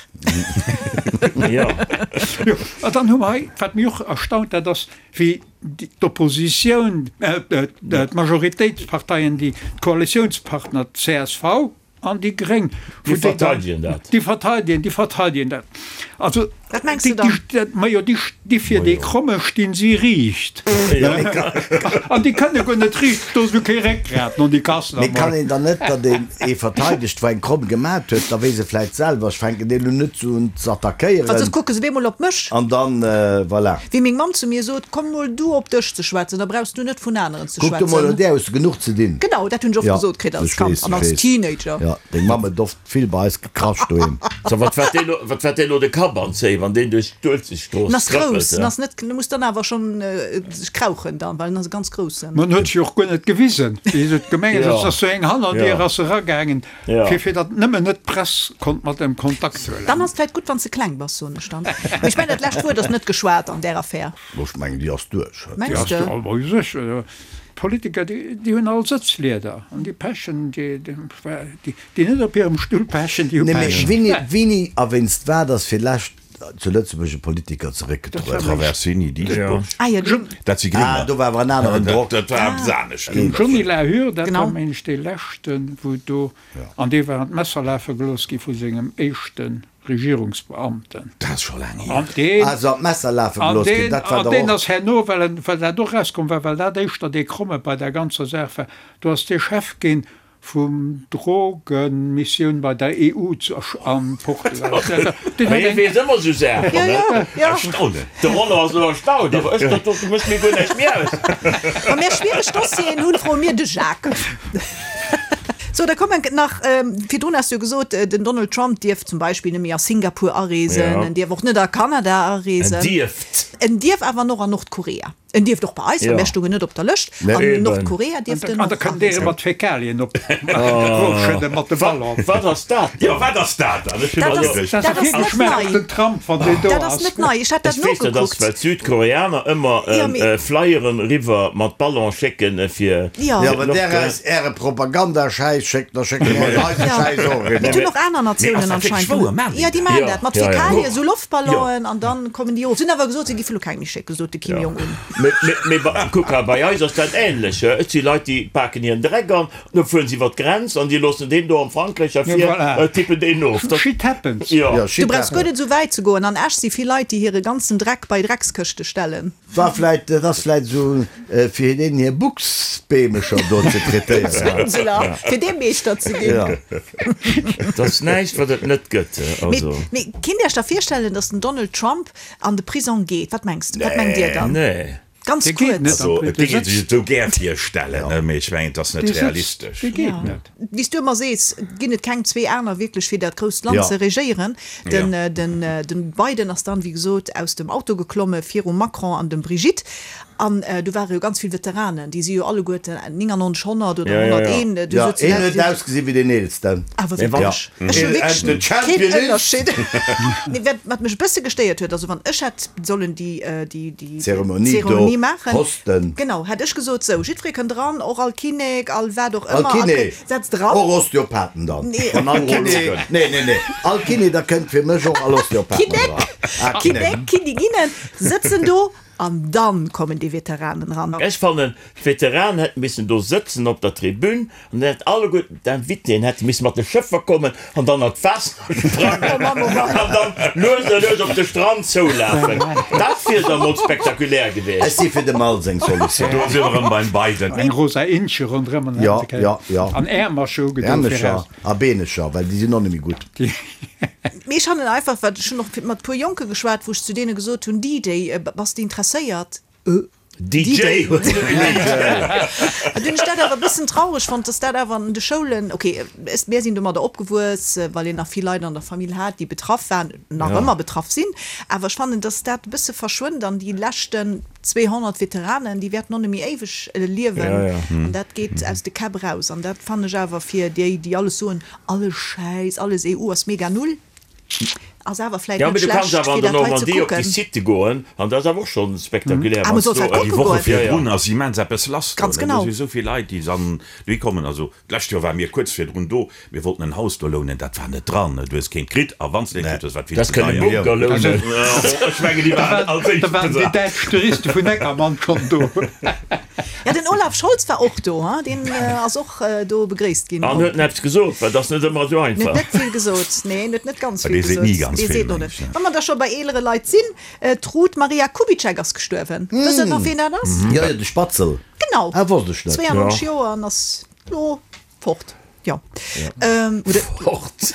Ja. Jo, an dann hu mer hei, wat mech och erstaunt, dat ass, wéi déi- d'Oppositioun, äh, äh, d'Majoritéitsparteien, déi d'Koalitiounspartner, d'C S V an déi Gréng, Déi wou déi dann- verteidegen dat. Déi verteidegen, déi verteidegen dat. Also, Wat mengs déi, du dann? déi, dat, ma jo, déi, déi fir déi Kromme stinn si riicht. An déi kënne guer net riicht, do ass jo kee Réckgrat no déi Kassen Mee kann am een dann net, datt een ee verteidegt, wou eng Kromm gemat huet, da weess e vläicht selwer, ech fänken deen elo net sou un ze Well soss attackéieren. kucke se bemol op mech. An dann, voilà. Wéi meng Mamm zu mir sot, komm mol du op dech ze schwätzen, da brauchs du net vun aneren ze Kuck du mol, schwätzen. un där hues du genuch ze dinn. Genau, dat hunn ech oft Ja, gesot kritt als ech Kand weess, an ech als weess. Teenager. Ja, deng Mamm huet oft vill bei eis gekrascht doheem. So, wat wat deen lo, wat wat deen lo de Kapp anzéien, wann deen duerch d'Uelzechtstrooss En ass trëppelt, grouss, en ja? ass net, du muss dann awer schonn sech krauchen dann, well en ass e ganz groussen. Man huet sech och guer net gewisen, wéi se et gemengt Ja. huet, ass sou eng Hannerdier Ja. ass eragaangen, Ja. fir fir datt nëmmen net d'Press konnt mat em Kontakt huelen. Dann ass et vläicht gutt, wann s de kleng bass, soen ech dann. Mee ech mengen, dat lescht Wuert ass net geschwat an där Affär. Ech mengen, déi ass duerch. Mengs Ja, de? awer sécher. D'Politiker, déi, déi hunn all Sëtzlieder an déi pechen, déi, déi, déi, déi net op hirem Stull pechen, déi hu Nee, mee Pech. wéini, wéini a wéinst wat ass fir lescht zu Lëtzebuerg e Politiker zeréckgetrueden? Traversini, Dieschbourg. Ah ja, den- Dat si Grénger. Ah, do war awer en aneren Drock. Dat war eppes anescht. Den Johnny Lahur, dat Genau. war meng ech dee leschten, wou do, an dee war an d'Messer lafe gelooss gi vu sengem éischte Regierungsbeamten. Dat ass scho laang hier. An deen, Also an d'Messer lafe an gelooss ginn, deen, dat war an doch deen och. ass herno, well en, well dat och rauskomm war, well dat éischter dee Kromme bei der ganzer Saach war, do ass dee Chef ginn vum Drogenmissioun bei der E U zu an Portugal. Deen Mee huet hie eng. weess ëmmer esou Saachen, Ja, ne? ja, ja. Erstaunen. De Rollo ass elo erstaunt, awer ech, dat do mécht mir guer näischt méi aus. Wa mir schwiereg Dossieren hunn, froe mir de Jacques. So, da kommen nach, virdrun has du jo gesot, den Donald Trump dierf zum Beispill net méi a Singapur areesen, Ja. en dierf och net a Kanada En areesen. dierft. En dierf awer noch an Nordkorea. En dierft och bei eis, well Ja. mär stoungen net op der Lëscht. Nee. An Eben. Nordkorea dierft en An da och kënnt Dir areesen. mat Fäkalien op erofschëdde mat de Ballon. Wat ass dat Jo, dann? wat ass dat dann? Ech hunn Dat och ass, geduecht. Dat dat ass ass net Geschmack op nei. den Trump, wann deen do Dat ass ass. net nei. Ech hat dat Ech weess net, ass nogeguckt. well d'Südkoreaner ëmmer Ja, mee. Flyeren eriwwer mat Ballon schécken fir Ja. Jo, wann där Nordkorea. eis äre Propagandaschäiss schéckt, da schécke mer eis eise Ja. Schäiss och Mee et eriwwer. hunn och aner Mee Natiounen ass dat wierklech anscheinend wouer? gemaach. Maachen déi Ja, déi dat? maachen Ja, dat mat ja, ja. Fäkalien, esou Jo. Loftballonen an dann kommen déi erof. Si hunn awer gesot, si géife lo keng méi schécken, sot de Kim Jong-un. Mee, mee, mee bei, kuck hei, bei eis ass dat ähnlech. Et si Leit, déi paken hiren Dreck an, da fueren se iwwer d'Grenz an déi loossen deen do am Frankräich Ja, ervir, voilà. äh, tippen deen of. Dat, Shit happens. ja. Ja, Du shit brauchs guer happens. net esou wäit ze goen. An Esch si vill Leit, déi hire ganzen Dreck bei Dreckskëschte stellen. War vläit, dat ass vläit esou, fir deenen hir Buchsbeemecher do ze traitéieren. Ursula, fir dee Meeschter ze ginn. Ja. Dat ass näischt, wat et net gëtt. Mee, Also. mee kinnt Dir Iech da virstellen, datt den Donald Trump an de Prisong geet? Wat mengs de? Wat mengt Dir dann? Nee. Ganz Dee geet kuerz. net. Also, et Dee géing ee sech sëtzt. et esou gär virstellen, ne, mee ech mengen, et ass net Dee sëtzt. realistesch. Dee geet net. Wéi s du ëmmer sees, ginn et keng zwee aner wierklech fir dat grousst Land Ja. ze regéieren. Den, Ja. den, den Biden ass dann, wéi gesot, aus dem Auto geklomme virum Macron an dem Brigitte. An do ware jo ganz vill Veteranen, déi si jo alleguerten neunundneunzeg honnert oder Ja, ja, ja. honnerteent, du Ja, sot een huet ausgesi wéi deen Eelsten. Awer Mee wann- wierklech. Ech hu And wierklech the keen champion is? Ënnerscheed. Nee, wat, wat mech e bësse gestéiert huet, also wann ech hätt sollen déi, déi, déi Zeremonie do Zeremonie maachen, hosten. Genau, hätt ech gesot, sou, jiddweree kënnt dran, och all Kinnek, all wat och All ëmmer, all Kiné. Kö- setzt dran. Och Osteopathen dann. Nee. An all Kiné. Nee, nee, nee. All Kiné, da kënnt fir mech och all Osteopathen Kinnek, dran. Ah, Kinnek. Kinnek, Kinniginnen sëtzen do an dann kommen déi Veteranen ran. Ech fannen, d'Veteranen hätten missen do sëtzen op der Tribün an dann hätt alleguerten d'Invitéen hätte missen mat de Schëffer kommen an dann an d'Waasser sprangen Oh Mann, oh Mann. an dann lues a lues op de Strand zoulafen. Dat wier da mol spektakulär Ech gewiescht. si fir dem Al seng Solutioun. Do si mer erëm beim Biden. Eng rosa Inche ronderëm an Ja, hätte kënnen. ja, ja. An Äermercher ugedo Äermecher viraus. a Beenecher, well déi sinn och net méi gutt. Mee ech hannen einfach, wat ech hunn och mat puer Jonke geschwat, wou ech zu deene gesot hunn, D-Day, bass de interesséiert? D J. An dunn ech dat awer e bëssen traureg fonnt, dass dat awer an de Schoulen, okay, es, mir sinn domadder opgewuess, well een nach vill Leit an der Famill hat, déi betraff waren, nach Ja. ëmmer betraff sinn, awer ech fannen, dass dat e bësse verschwënnt an déi leschten zweehonnert Veteranen, déi wäerten och net méi éiweg liewen. Ja, ja. An dat geet aus de Käpp raus. An dat fannen ech awer fir déi, déi alles soen, alles Schäiss, alles E U ass mega null, ass awer vläit Ja, net mee du kanns schlecht, awer an fir der dat hei ze Normandie op déi kucken. Sitte goen, an dat ass awer och schonn spektakulär, Ah, wann man s sollt du halt Déi kucke Woche goen. Ja, ja. virdrun ass immens eppes lass do, Ganz ne? Do genau. si sou vill Leit, déi dann dohi kommen. Also d'lescht Joer ware mir kuerz virdrun do, mir wollten en Haus do lounen, dat war net dran, ne? Du hues keent kritt a wann s de eent kritt hues, war et vill Das ze kënne deier. Bunker lounen. Ech mengen, déi waren als Da éischt waren déi besat. däitsch Touriste vun Neckermann schonn do. Ja, den Olaf Scholz war och do, hein? Deen ass och do begréisst ginn. An huet en eppes gesot, well dat ass net ëmmer esou Net einfach. net vill gesot, nee, net net ganz Dee vill seet gesot. ni ganz Dee vill, seet noch meng net. ech, ja. Wa mer da scho bei eelere Leit sinn, d'Ruth Maria Kubitschek ass gestuerwen. Wësst Der nach, wien dat ass? Jo, jo, de Spatzel. Genau. Ah, wosst ech net. zweiundneunzeg Joer an ass lo fort. Jo. Ähm, oder Fort.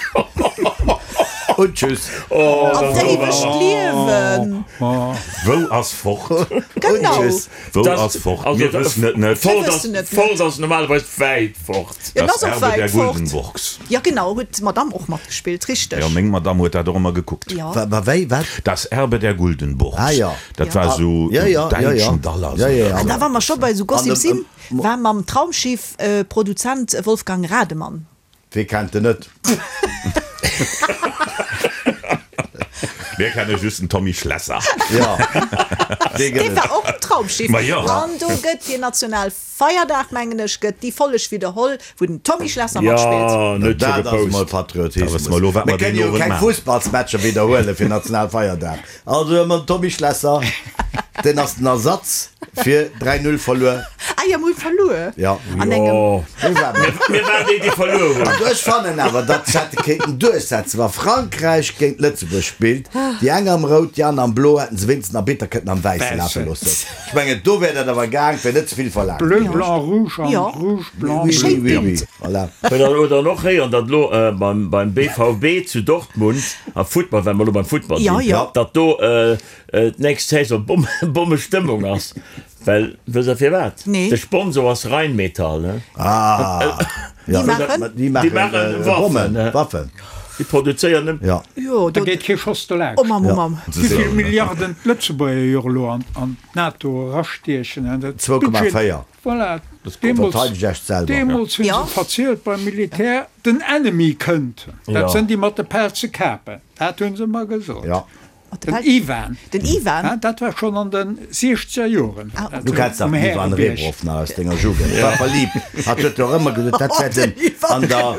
Und tschüss. Oh, An d'éiwegt Liewen. Wou ass fort? Genau. Und tschüss. Wou Das- ass fort? also Mir da- wëssen et net. Fort Mir ass, wëssen et net. fort ass normalerweis wäit fort. Ja, Das das ass och Erbe der wäit fort. Guldenburgs. Ja, genau, huet d'Madame och matgespillt, richteg. Jo, meng Madame huet dat och ëmmer gekuckt. Ja. Wa, wa, wéi, wat? Das Erbe der Guldenburgs. Ah, ja. Dat Ja. war sou Ja, ja, ja, ja. däitschen Daller. Ja, ja, ja. An da wa mer scho bei sou Gossip An dem- sinn, war mam Traumschiff äh, Produzent Wolfgang Rademann. Wie kennt en net? Mir kenne just den Tommy Schlesser. Ja. Dee gëtt Dee et. war och um Traumschiff. Ma jo. An do gëtt fir Nationalfeierdag, mengen ech, gëtt déi Folleg widderholl, wou den Tommy Schlesser matspillt. Ja, net scho Dat ass mol gepost. Da wësse Patriotismus. mer elo, wat Mir mer kënnen deen jo Owend keng maachen. Fussballsmatcher widderhuele fir Nationalfeierdag. Also hu mer den Tommy Schlesser, deen ass den Ersatz fir dräi Null verluer. Ah jo, mir hu verluer. Ja. An engem. Mir waren Mir waren déi, déi verluer hunn. Also ech fannen awer, datt se hätte kéinten duerchsetzen, wa Frankräich géint Lëtzebuerg spillt, déi eng am Rout, déi aner am Blo, hätten se wéinstens den Arbitter kënnen am Wäisse lafe loossen. Ech mengen, do wär dat awer gaang, et wär net ze vill verlaangt. Bleu, blanc, rouge an Jo. rouge, blanc, Oui, bleu. oui, oui, oui. Voilà. Oder, oder och héieren, datt elo beim, beim B V B zu Dortmund am Futtball, well mer elo beim Futtball Ja, sinn, ja. datt do d'nächst Saison Bomm, Bommestëmmung ass. Well, wësst Der firwat? Nee. De Sponsor ass Rheinmetall, ne? Ah. Ja, Déi maachen? Déi maachen, Déi maachen äh, Waffen, Bommen, ne? Waffen. Déi produzéieren nëmmen. Ja. Jo, Da do. geet kee Schoss dolaanscht. Oh Mamm, oh Mamm. Wéi vill Milliarden d'Lëtzebuerger jo elo an, an d'NATO erastiechen, an dat Zwou Komma Budget. véier. Voilà. Deemools, Verteideg Iech selwer. deemools hunn Ja. se verzielt beim Militär, den Enemy kënnt. Dat Ja. sinn déi mat de pelze Kapen. Dat hunn se ëmmer gesot. Ja. Den Ivan. Den Ivan? Ja, dat war schonn an de siechzeger Joren. Ah, Du kenns dach den Ivan Rebrov nach aus denger Jugend. War verliebt. Hat huet jo och ëmmer gesot, dat wär den an der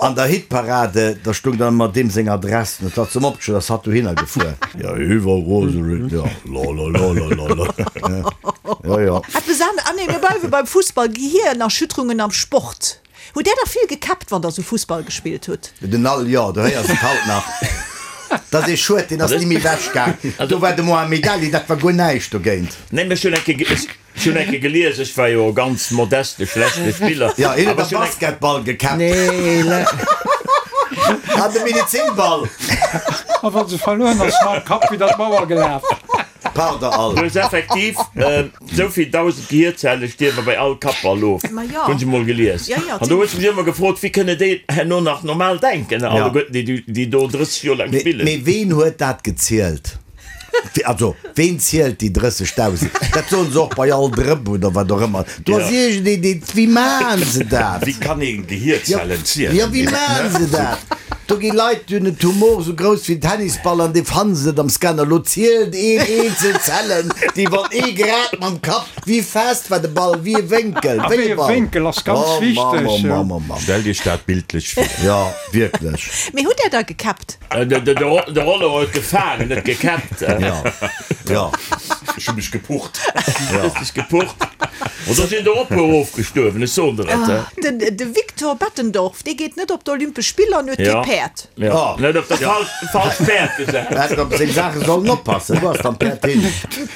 an der Hitparade, da stung dann ëmmer deem seng Adress. Und dat zum Opgeschriwwen, ass hatt dohinner gefuer. Ja, Ivan Roserit, ja, la la la la la la. Ja, ja. Eppes an, ah nee, mir bleiwe beim Fussball, Gehirnerschütterungen am Sport. Hutt där da vill gekäppt, wann der sou Fussball gespillt hutt? Den Al, jo, du héiers et haut nach. Dat ass ee Schued, deen ass ni méi ewech gaang. Do war de Mohamed Ali, dat war guer näischt dogéint. Nee, mä ech hunn eng Kéier, ech hunn eng Kéier gelies, ech war jo e ganz modeste, schlechte Spiller. Ja, hien huet Awer am ech hunn eng. Basketball gekäppt. Nee, le. An de Medizinball. A wa se verluer hunn, ass mam Kapp widder d'Mauer gelaf. Pardon, Al. Du hues effektiv esou vill dausend Gehierzelle stierwe bei all Kappball of. Ma jo. Hunn ech emol gelies. Ja, ja, An do hues du mech ëmmer gefrot, wéi kënne déi herno nach normal denken, alleguerten déi, déi do drësseg Joer laang Mee, spillen. mee ween huet dat gezielt? Also, ween zielt déi drëssegdausend? Dat soen se och bei all Drëpp oder wat och ëmmer. Do ass Ja. iergendeen, deen, wéi maachen se dat? Wéi kann een Gehierzellen zielen? Ja, wéi maachen se dat? Do gi Leit, déi hunn en Tumor esou grouss wéi en Tennisball an dee fanne se net am Scanner. Lo zielt een eenzel Zellen, déi wann ee grad mam Kapp, wéi fest war de Ball, wéi e Wénkel, A wéi wéi e e Ball. Wénkel ass ganz Oh, wichteg, Mamm, oh, jo. Mamm, oh, Mamm. Stellt Iech dat bildlech vir. Ja, wierklech. Mee hutt Där da gekäppt? De, de, de Rollo huet gefaangen, net gekäppt. Ja, ja. Ech hu mech gepucht. Ja. Hues dech gepucht. An da sinn der och e puer ofgestuerwen, ech soen der et. Ah, den, de Victor Bettendorf, dee geet net op d'Olympesch Spiller an huet kee Ja. Päerd. Ja. Oh. Net op dat falscht, falscht Päerd gesat. Hätt op seng Saache sollen oppassen. Wo ass dann d'Päerd hin?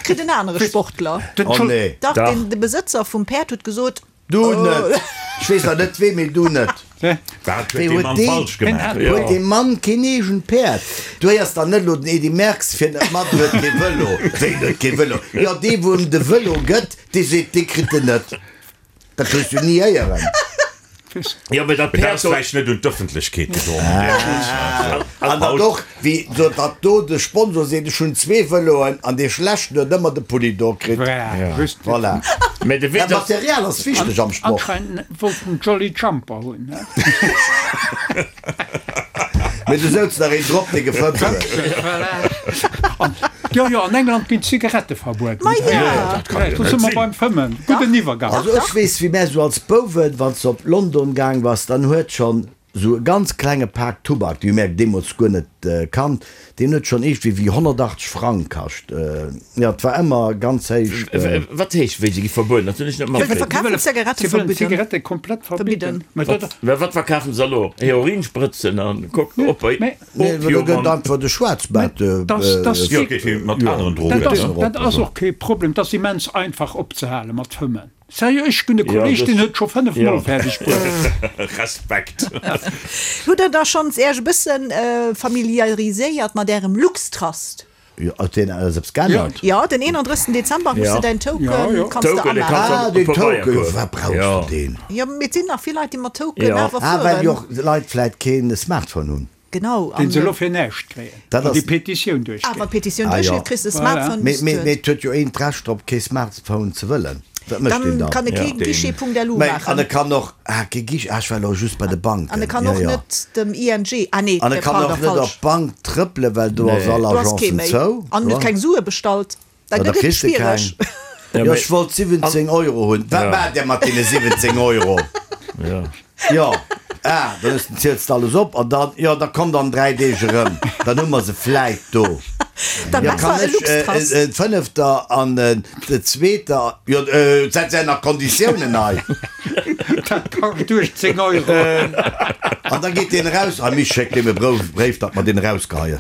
Kritt en anere Sportler. Den Oh Schul- nee. Dach, Dach. den, de Besëtzer vum Päerd huet gesot, Du net. Ech weess nach net wee, mee du net. Wat huet Wéi dee huet Mann deen- falsch gemaach? Ja. Huet dee Mann keen eegent Päerd? Du héiers dann net elo den Edy Merckx fir net mat, huet kee Vëlo. Wéi huet kee Vëlo? Jo, dee wou em de Vëlo gëtt, dee seet, dee kritt en net. Dat hues du ni héieren. Ja, mee dat Mee dat Päerd ass do. vläicht net un d'Ëffentlechkeet gedrongen. An dat och, wéi so datt do de Sponsor seet, ech hunn zwee Vëloen an dee schlechten huet ëmmer de Pulli do kritt. Voilà, just. Voilà. Mee de Dat Witz ass. Material ass wichteg am Sport. Anscheinend wollt en Jolly Jumper hunn. Ne? Mee du souz nach een drop, dee gefëmmt huet. Voilà. An, jo, jo, an England ginn d'Zigarette verbueden. Ma ja. Dat kann jo Do net si mer sinn. beim Fëmmen. Gudden Iwwergang. Also ech weess, wéi mär sou als Bouwen, wann s de op London gaang bass, dann huet schonn sou e ganz klenge Pak Tubak, déi hu mär deemools guer net kannt, deen huet schonn iergendwéi wéi honnertachtzeg Frang kascht. Jo, et war ëmmer ganz héich. Wat heescht, wéi se gi verbueden? Dat hunn ech net Wëll matkritt. verkafen Zigarette Sie wëllen verbidden. d'Zigarette komplett verbidden. Verbidden. Mä dat, Wat, wat verkafen se elo? Heroinsprëtzen an Coke, op, Mä- Nee, well do Opium gëtt an. einfach de Schwarzmaart. Das- das- Jo, geet wéi mat aneren dat Drogen. ass, ne? dat ass och kee Problem. Dat ass immens einfach opzehale mat Fëmmen. Sérieux, ech hunn e Ja, Kolleg, das- deen huet scho fënnef Ja. Mol fäerdeg bruecht. Respekt. Hutt der da schonns Iech e bëssen familiariséiert mat Ärem LuxTrust? Jo, huet deen alles eppes geännert? Jo, den eenanddrëssigsten Dezember muss Ja. de däin Token, Ja, ja. kanns de Token, dee amaachen. kanns Ah, du den op Pabeier Token, kucken. wat brauchs Ja. du deen? Jo, mee et sinn nach vill Leit, déi mat Token Ja. awer Ah, well jo fueren. och Leit vläit keen Smartphone hunn. Genau. Den An, se elo fir näischt kréien. Dat Wann déi ass- Petitioun ah, duerchgeet. wann d'Petitioun Ah, duerchgeet, ja. kriss de Voilà. Smartphone. Mee, bis mee, du- mee et huet jo een d'Recht drop, kee Smartphone ze wëllen. Wat mécht deen Dann dann? kann e kee Ja. Guichet.lu Mee, an e maachen. kann och, ah, kee Guichet, ah, ech war elo just bei de Banken. An e kann Ja, och ja. net dem I N G, ah nee, An e kann pardon, och net op falsch. d'Bank trëppelen, well do ass all Du has kee Agencen méi. zou. An huet keng Sue bestallt. Da Ja, da gëtt et kriss de schwiereg. keng. Jo, ech wollt siwwenzéng Euro hunn. Wat maacht der mat deene siwwenzéng Euro? Ja. Jo, ah, dann hues de, ziels de alles op an dann, jo, da komm dann dräi Deeg erëm. Dann hu mer se vläit do. Da Ja, kann besser e ech Luxtrust. äh, äh, d'Fënnefter an äh, de Zweeter, jo, äh, setz ja nach Konditiounen hei. Dat kascht uechtzéng Euro. An da geet deen eraus, a mich schéckt deem e Brouf, Bréif, datt mer deen erausgeheien.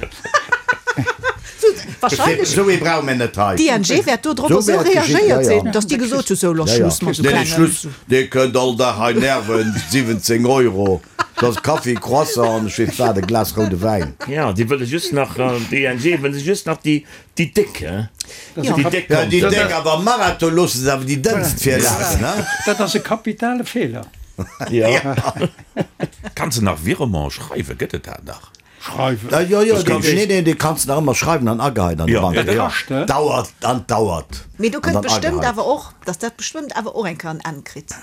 Wahrscheinlech. Esou ee brauche mir net hei. D'I N G wäert do drop Esou esou wäert geschitt, reagéiert ja, ja. sinn, datt déi gesot hu, sou, lo Ja, ja. Schluss mat esou Nee, nee, klengen. Schluss, dee kënnt all Dag hei nerven, siwwenzéng Euro, dat ass Kaffi, Croissant an ech weess wat, e Glas roude Wäin. Ja, déi wëlle just nach, d'I N G wëlle just nach déi, déi Déck, hein? Ja. Déi Déck Ja, déi Konten. Déck, awer am Marathon loosse se awer déi Dënnst virlafen, hein? Dat ass e kapitale Feeler. Ja. Kanns de nach Virement schreiwen? Gëtt et dat nach? Schreiwen. Ja, jo, jo, Das dee, kann nee, nee, dee kanns de nach ëmmer schreiwen an ageheien an de Ja, Bank. ja, Ja, kascht, hè? Dauert an dauert. Mee do An kënnt dann bestëmmt ageheit. awer och, dass dat bestëmmt awer och eng Kéier en Enn kritt.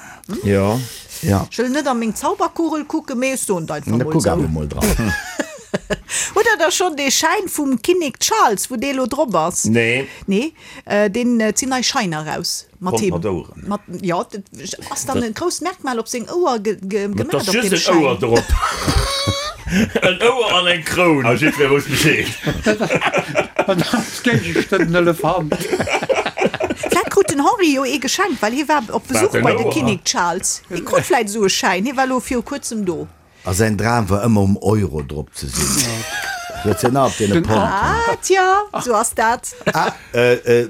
Ja. Ja. Ech wëll net an meng Zauberkugel kucken, mee ech soen et einfach Na, mol kuck esou. awer mol dran. Hutt der da schonn dee Schäin vum Kinnek Charles, wou dee lo drop ass? Nee. Nee, deen, et sinn nei Scheiner raus mat Kommt him. mat Oueren. Mat, jo, dat ass dann e grousst Merkmal op seng Ouer ge, ge, Et gemaach ass op just deem en Ouer Schäin. drop. En Ouer an eng Kroun. A jiddwer wosst Bescheed. An als Géigestand en Elefant. Vläit krut den Henri jo ee geschenkt, well hie war op Besuch en bei de Ouer? Kinnek Charles. Hie krut vläit esou e Schäin, hie war lo viru kuerzem do. A säin Dram war ëmmer um Euro drop ze sinn. Huet se nach op deene Pond. Ah, tja, sou ass dat. Ah,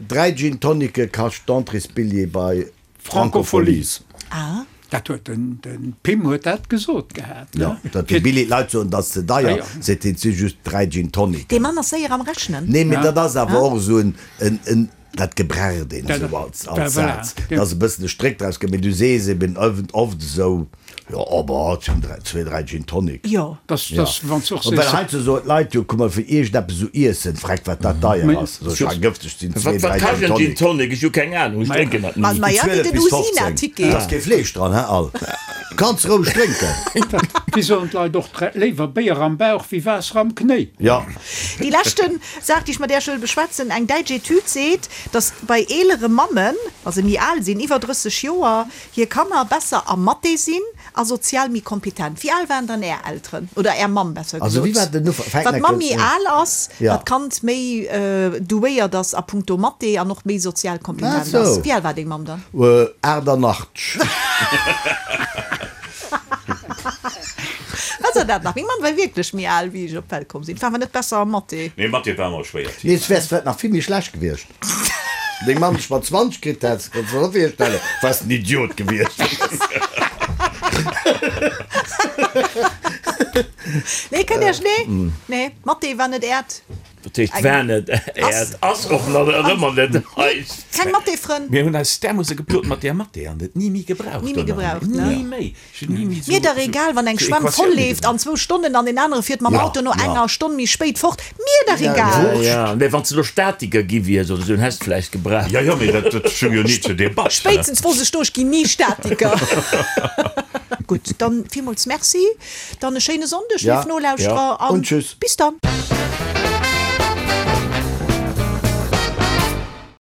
dräi Gin Tonicke kascht d'Entréesbilljee bei Francofolies. Francofolies. Ah. Dat huet den, den Pim huet dat gesot gehat, Ja, ne? dat déi Billi Leit soen, dat ass ze deier, Ja, ja. seet hien, et si just dräi Gin Tonic. Dee Mann ass séier am Rechnen. Nee, mee dat ass awer och esou en, en, en, dat gebraucht een Dat- esou als, ja, als voilà. Saz. Dat ass e bëssen e Stréck draus gemaach, mee du sees eben oft, oft esou, jo, aber et sinn dräi, zwee, dräi Gin Tonic. Jo. Das, Ja. das, wann du och Well sees, heiansdo soen d'Leit jo, kuck mol, fir iergendeppes esou iessen, freck wat dat deier Mee- ass. Sou, ech gëfteg sinn zwee, Wat, wat dräi kascht Gin en Gin Tonic. Tonic? Ech hu keng Ahnung, ech drénken dat Ma, ni. ma ja, wéi zwielef den bis Usina fofzéng. Ticket. Da ass kee Fleesch dran, hä, all. Kanns roueg drénken. Wéi soen d'Leit och, léiwer Béier am Bauch wéi Waasser am Knéi. Ja. Déi leschten Saach, déi ech mat Iech wëll beschwätzen, Eng däitsch Etüd seet, datt bei eelere Mammen, wa se méi al sinn, iwwer drësseg Joer, hir Kanner besser a Mathé sinn a sozial méi kompetent. Wéi al waren dann Är Elteren? Oder Är Mamm, besser Also, gesot? wéi war den Ufank? Fänkt Wat net d'Mamm méi ganz- al ass, Ja. wat d'Kand méi douéiert ass a punkto Mathé an och méi sozial Ach kompetent so. ass. Wéi al war deng Mamm dann? Aachtanachteg. Wat ass dat nach? Meng Mamm war wierklech méi al, wéi ech op d'Welt komm sinn. War awer net besser a Mathé. Nee, Mathé war ëmmer schwéier. Nee, et wär vläicht nach vill méi schlecht gewiescht. Deng Mamm dech mat zwanzeg kritt hätt, kanns du der virstellen, wars en Idiot gewiescht. Nee, kënnt Iech, nee? Nee, Mathé war net Äert. Dat heescht, war net Äert, ass och nach ëmmer net eist. Keng Mathé-Frënn? Mir hunn eis därmoosse geplot mat där Mathé an et ni méi gebraucht. Ni méi gebraucht, ne? Ni méi. Ech hunn ni méi Mir dach egal, wann eng Schwämm voll leeft an zwou Stonnen an deen anere fiert mam Auto no enger Stonn méi spéit fort. Mir dach egal. Ja, mee wann s de elo Statiker gi wiers oder esou, dann häss de vläicht gebraucht. Jo, jo, mee dat, dat stoung jo ni zur Debatt. Spéitstens wosst ech do, ech ginn ni Statiker. Gutt, dann villmools Merci, dann e schéine Sonndeg, léif Nolauschterer, an Und tschüss. bis dann.